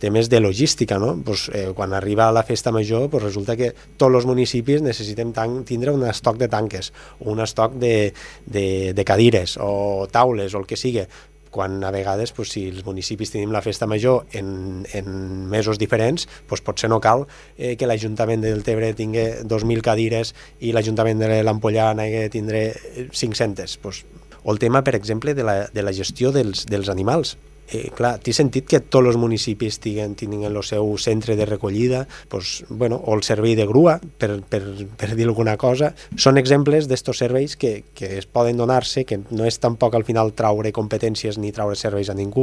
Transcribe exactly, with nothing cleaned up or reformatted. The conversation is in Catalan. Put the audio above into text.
temes de logística, no? Pues, eh, quan arriba la festa major, pues resulta que tots els municipis necessitem tindre un estoc de tanques, un estoc de, de, de cadires o taules o el que sigui, quan a vegades, pues, si els municipis tenim la festa major en, en mesos diferents, pues, potser no cal eh, que l'Ajuntament del Deltebre tingui dos mil cadires i l'Ajuntament de l'Ampollà n'hagi de tindre cinc-centes. Pues, o el tema, per exemple, de la, de la gestió dels, dels animals. Eh, clar, té sentit que tots els municipis tinguin, tinguin el seu centre de recollida, pues, bueno, o el servei de grua, per, per, per dir alguna cosa. Són exemples d'estos serveis que, que es poden donar-se, que no és tampoc al final traure competències ni traure serveis a ningú,